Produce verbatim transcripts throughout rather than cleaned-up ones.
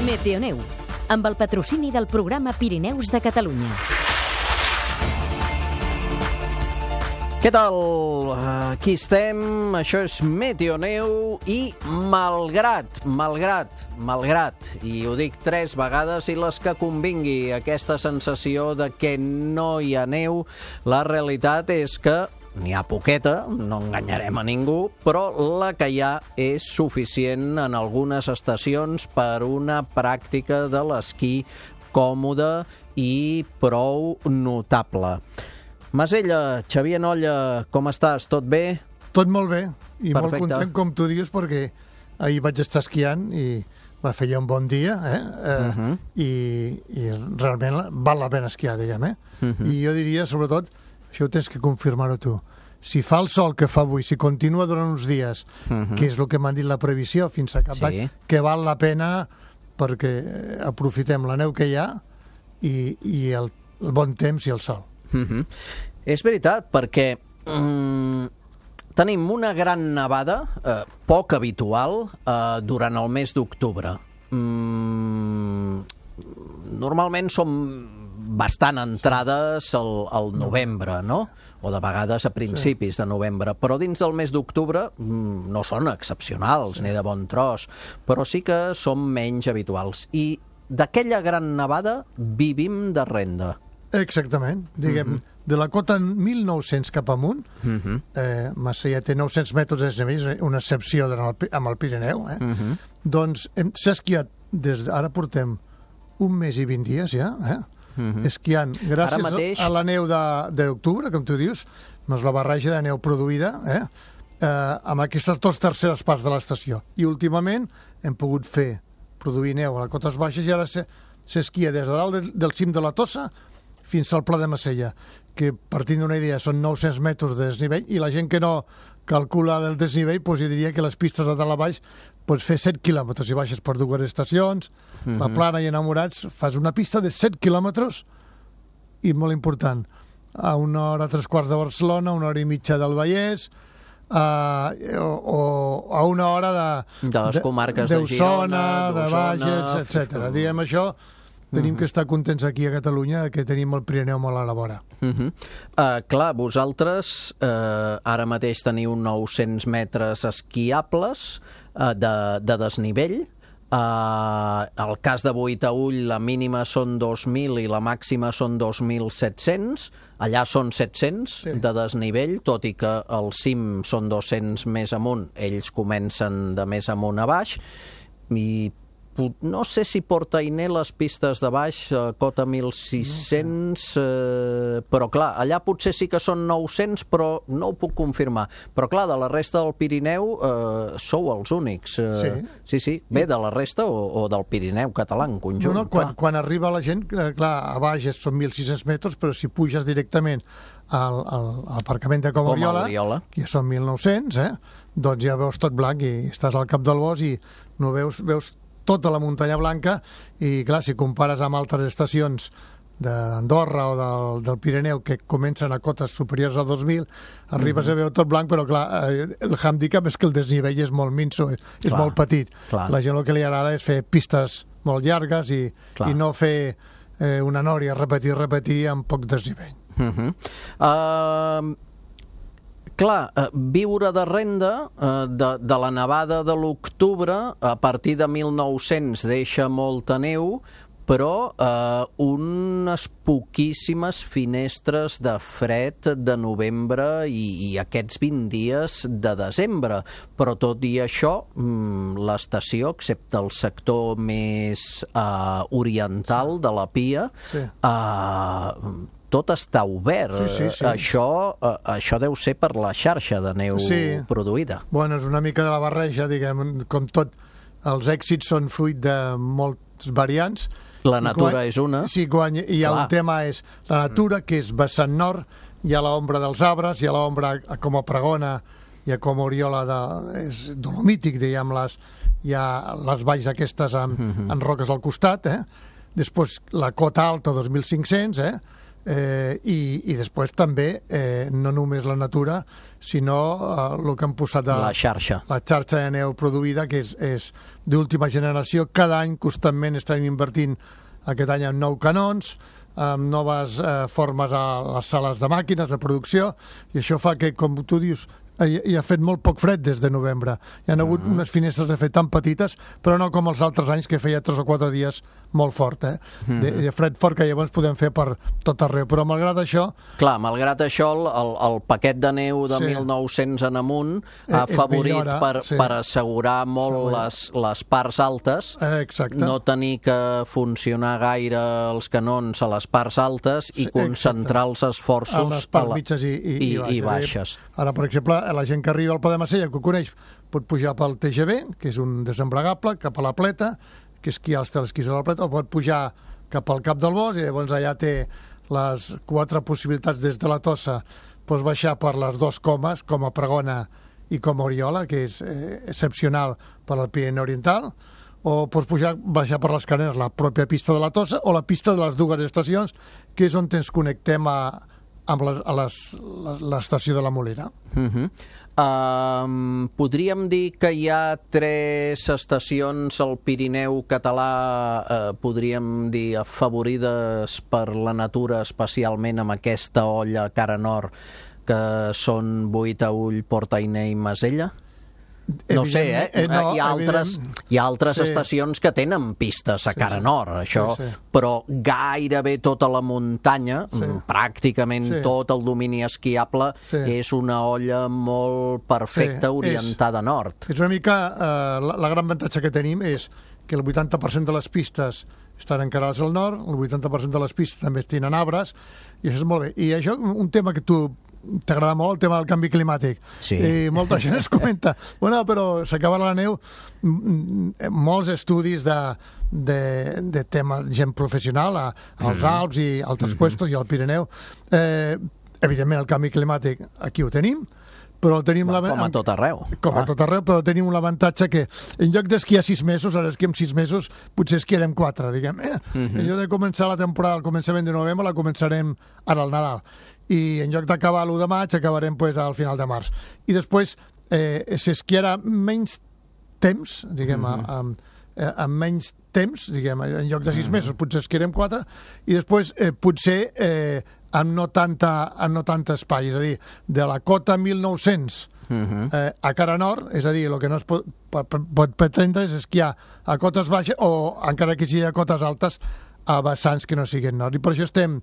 Meteoneu, amb el patrocini del programa Pirineus de Catalunya. Què tal? Aquí estem, això és Meteoneu i malgrat, malgrat, malgrat, i ho dic tres vegades i les que convingui, aquesta sensació de que no hi ha neu, la realitat és que n'hi ha poqueta, no enganyarem a ningú, però la que hi ha és suficient en algunes estacions per una pràctica de l'esquí còmode i prou notable. Masella, Xavier Nolla, com estàs? Tot bé? Tot molt bé, i Perfecte. molt content, com tu dius, perquè ahir vaig estar esquiant i va fer un bon dia, eh? eh uh -huh. i, i realment val la pena esquiar, diguem, eh? Uh -huh. I jo diria, sobretot, això ho tens que confirmar-ho tu, si fa el sol que fa avui, si continua durant uns dies, uh -huh. que és el que m'han dit la previsió fins a cap sí. d'any, que val la pena perquè aprofitem la neu que hi ha i, i el, el bon temps i el sol. Uh -huh. És veritat, perquè um, tenim una gran nevada, eh, poc habitual, eh, durant el mes d'octubre. Um, normalment som bastant entrades al, al novembre, no? O de vegades a principis sí. de novembre, però dins del mes d'octubre mm, no són excepcionals, sí. ni de bon tros, però sí que són menys habituals. I d'aquella gran nevada vivim de renda. Exactament, diguem, uh -huh. de la cota mil nou-cents cap amunt, uh -huh. eh, Massella té nou-cents metres de desnivell, una excepció el, amb el Pirineu, eh? uh -huh. doncs s'ha esquiat, des de, ara portem un mes i vint dies ja, eh? Uh -huh. esquiant, gràcies mateix... a la neu d'octubre, com tu dius, més la barreja de neu produïda, eh? Eh, amb aquestes dues terceres parts de l'estació. I últimament hem pogut fer, produir neu a les cotes baixes i ara s'esquia des de dalt del, del cim de la Tossa fins al Pla de Massella, que partint d'una idea són nou-cents metres de desnivell, i la gent que no calcula el desnivell, doncs jo diria que les pistes de dalt a baix pots fer set quilòmetres i baixes per dues estacions, uh-huh. la Plana i Enamorats, fas una pista de set quilòmetres i molt important, a una hora tres quarts de Barcelona, una hora i mitja del Vallès, a, o, o a una hora de, de les comarques de, de Girona, de Bages, etcètera. Diguem això, tenim uh-huh. que estar contents aquí a Catalunya que tenim el Pirineu molt a la vora. Uh-huh. Uh, clar, vosaltres uh, ara mateix teniu nou-cents metres esquiables uh, de, de desnivell. Uh, el cas de Boitaüll, la mínima són dos mil i la màxima són dos mil set-cents. Allà són set-cents sí. de desnivell, tot i que el cim són dos-cents més amunt, ells comencen de més amunt a baix. I no sé si Portainer les pistes de baix, eh, cota mil sis-cents, eh, però clar, allà potser sí que són nou-cents, però no ho puc confirmar. Però clar, de la resta del Pirineu eh, sou els únics. Eh, sí. Sí, sí. Bé, de la resta o, o del Pirineu català en conjunt. No, no, quan, quan arriba la gent, clar, a baix són mil sis-cents metres, però si puges directament al, al, al aparcament de Com Oriola, que ja són mil nou-cents, eh, doncs ja veus tot blanc i estàs al cap del bosc i no veus... veus tota la muntanya blanca, i clar, si compares amb altres estacions d'Andorra o del, del Pirineu que comencen a cotes superiors a dos mil, arribes mm-hmm. a veure tot blanc, però clar, el handicap és que el desnivell és molt minso, és, és molt petit. Clar. La gent el que li agrada és fer pistes molt llargues i, i no fer eh, una nòria, repetir, repetir amb poc desnivell. Mm-hmm. Uh... Clar, eh, viure de renda eh, de, de la nevada de l'octubre, a partir de mil nou-cents deixa molta neu, però eh, unes poquíssimes finestres de fred de novembre i, i aquests vint dies de desembre. Però tot i això, l'estació, excepte el sector més eh, oriental de la Pia, sí. eh, tot està obert. Sí, sí, sí. Això, eh, això deu ser per la xarxa de neu sí. produïda. Bueno, és una mica de la barreja, diguem, com tot. Els èxits són fruit de molts variants. La natura quan, és una. Sí, quan hi ha Clar. un tema és la natura, que és vessant nord, hi ha l'ombra dels arbres, hi ha l'ombra com a Pregona, hi ha com a Oriola, de, és dolomític, diguem, les, hi ha les valls aquestes amb, mm-hmm. amb roques al costat, eh? Després la cota alta, dos mil cinc-cents, eh? Eh, i, i després també eh, no només la natura sinó eh, el que han posat a, la xarxa la xarxa de neu produïda, que és, és d'última generació. Cada any constantment estan invertint aquest any en nou canons, amb noves eh, formes a les sales de màquines de producció, i això fa que, com tu dius, hi, hi ha fet molt poc fred des de novembre. Hi ha hagut mm. unes finestres de fet tan petites, però no com els altres anys, que feia tres o quatre dies molt fort, eh? Mm. De, de fred fort, que llavors podem fer per tot arreu. Però malgrat això... Clar, malgrat això, el, el paquet de neu de sí. mil nou-cents en amunt ha eh, favorit millora, per, sí. per assegurar molt sí. les, les parts altes, eh, exacte. No tenir que funcionar gaire els canons a les parts altes i sí, concentrar exacte. els esforços a les parts mitges i, i, i, i, i baixes. Ara, per exemple, la gent que arriba al Pla de Macella, que ho coneix, pot pujar pel T G V, que és un desembragable, cap a la Pleta, que esquiar els telesquís a la Pleta, o pot pujar cap al Cap del Bosc, i llavors allà té les quatre possibilitats des de la Tossa. Pots baixar per les dues comes, com a Pregona i com a Oriola, que és eh, excepcional per al Pirineu Oriental, o pots pujar, baixar per les Carenes, la pròpia pista de la Tossa, o la pista de les dues estacions, que és on ens connectem a, amb les, a les, l'estació de la Molina. Uh-huh. Um, podríem dir que hi ha tres estacions al Pirineu català, eh, podríem dir, afavorides per la natura, especialment amb aquesta olla cara nord, que són Boí-Taüll, Port Ainé i Masella? No sé, eh? eh no, hi ha altres, hi ha altres sí. estacions que tenen pistes a cara sí, sí. nord, això, sí, sí. però gairebé tota la muntanya, sí. pràcticament sí. tot el domini esquiable, sí. és una olla molt perfecta, sí, orientada és, a nord. És una mica, eh, la, la gran avantatge que tenim és que el vuitanta per cent de les pistes estan encarades al nord, el vuitanta per cent de les pistes també tenen arbres, i això és molt bé. I això, un tema que tu t'agrada molt, el tema del canvi climàtic. Sí. I molta gent es comenta, bueno, però s'acaba la neu, molts estudis de, de, de tema, gent professional, a, als mm. Alps i altres mm-hmm. puestos i al Pirineu. Eh, evidentment, el canvi climàtic aquí ho tenim, però tenim bueno, la... com a tot arreu. Com ah. a tot arreu, però tenim l'avantatge que en lloc d'esquiar sis mesos, ara esquiem sis mesos, potser esquiarem quatre, diguem. Eh? Mm-hmm. En lloc de començar la temporada al començament de novembre, la començarem ara al Nadal. I en lloc d'acabar l'u de maig, acabarem pues, al final de març. I després eh, s'esquiarà menys temps, diguem, mm-hmm. amb, amb menys temps, diguem, en lloc de sis mm-hmm. mesos, potser esquiarem quatre, i després eh, potser eh, amb, no tanta, amb no tant espai, és a dir, de la cota mil nou-cents mm-hmm. eh, a cara nord, és a dir, el que no es pot, pot, pot pretendre és esquiar a cotes baixes o, encara que sigui a cotes altes, a vessants que no siguin nord. I per això estem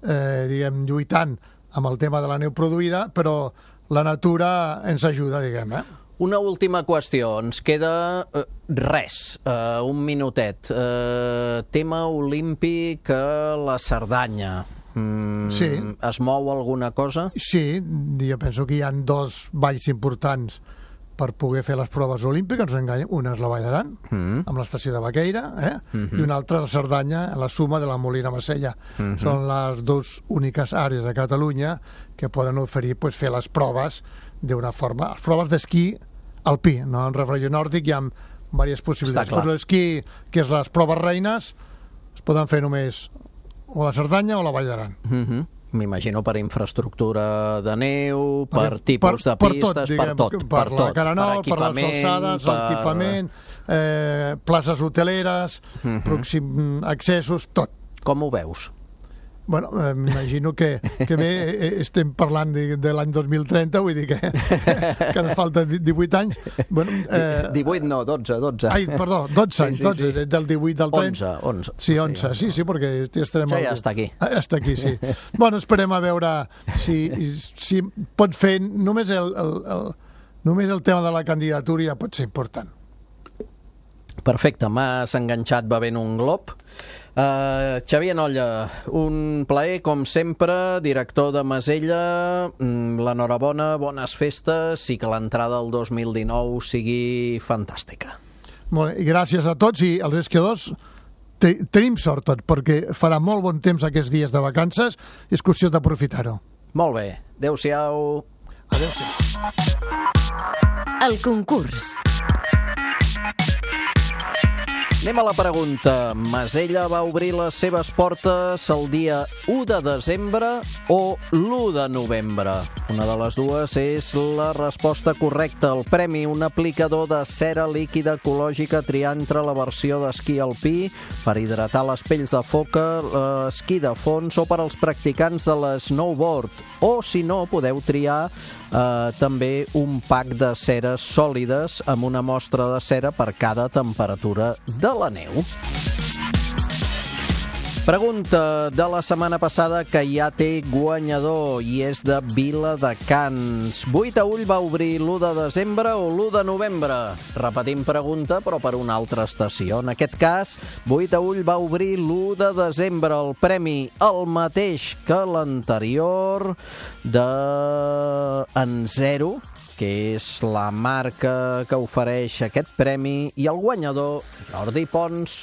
Eh, diguem, lluitant amb el tema de la neu produïda, però la natura ens ajuda, diguem, eh? Una última qüestió, ens queda eh, res, eh, un minutet. Eh, tema olímpic a la Cerdanya. Mm, sí. Es mou alguna cosa? Sí, jo penso que hi ha dos valls importants per poder fer les proves olímpiques, no enganyem. Una és la Vall d'Aran, mm. amb l'estació de Baqueira, eh? mm-hmm. i una altra la Cerdanya, la suma de la Molina Macella. Mm-hmm. Són les dues úniques àrees de Catalunya que poden oferir pues, fer les proves d'una forma... Les proves d'esquí alpí, no en refregio nòrdic, hi ha diverses possibilitats. Però l'esquí, que és les proves reines, es poden fer només o la Cerdanya o la Vall d'Aran. Mm-hmm. M'imagino per infraestructura de neu, per, per tipus per, de pistes, per tot, diguem, per tot. Per, per la tot, cara nord, per, per les alçades, per l'equipament, eh, places hoteleres, uh-huh. pròxim accessos, tot. Com ho veus? Bueno, eh, m'imagino que, que bé eh, estem parlant de, de l'any dos mil trenta, vull dir que, que ens falta divuit anys. Bueno, eh, divuit no, dotze, dotze. Ai, perdó, dotze anys, sí, sí, dotze, sí. Del divuit al trenta. onze, onze. Sí, onze, sí, sí, perquè estarem... Això ja està aquí. Ja està aquí, sí. Bueno, esperem a veure si, si pot fer només el, el, el, només el tema de la candidatura ja pot ser important. Perfecte, m'has enganxat bevent un glob. Uh, Xavier Nolla, un plaer com sempre, director de Masella, l'enhorabona, bones festes i que l'entrada del dos mil dinou sigui fantàstica. Molt bé, gràcies a tots, i els esquiadors te, tenim sort tot, perquè farà molt bon temps aquests dies de vacances i és qüestió d'aprofitar-ho. Molt bé, adeu-siau. Adeu-siau. El concurs. Anem a la pregunta. Masella va obrir les seves portes el dia u de desembre o l'u de novembre? Una de les dues és la resposta correcta. El premi, un aplicador de cera líquida ecològica a triar entre la versió d'esquí alpí per hidratar les pells de foca, l'esquí de fons o per als practicants de l'snowboard. O, si no, podeu triar eh, també un pack de ceres sòlides amb una mostra de cera per cada temperatura de la neu. Pregunta de la setmana passada que ja té guanyador i és de Viladecans. Buitaüll va obrir l'u de desembre o l'u de novembre? Repetim pregunta, però per una altra estació. En aquest cas, Buitaüll va obrir l'u de desembre. El premi, el mateix que l'anterior, de En Zero, que és la marca que ofereix aquest premi, i el guanyador, Jordi Pons.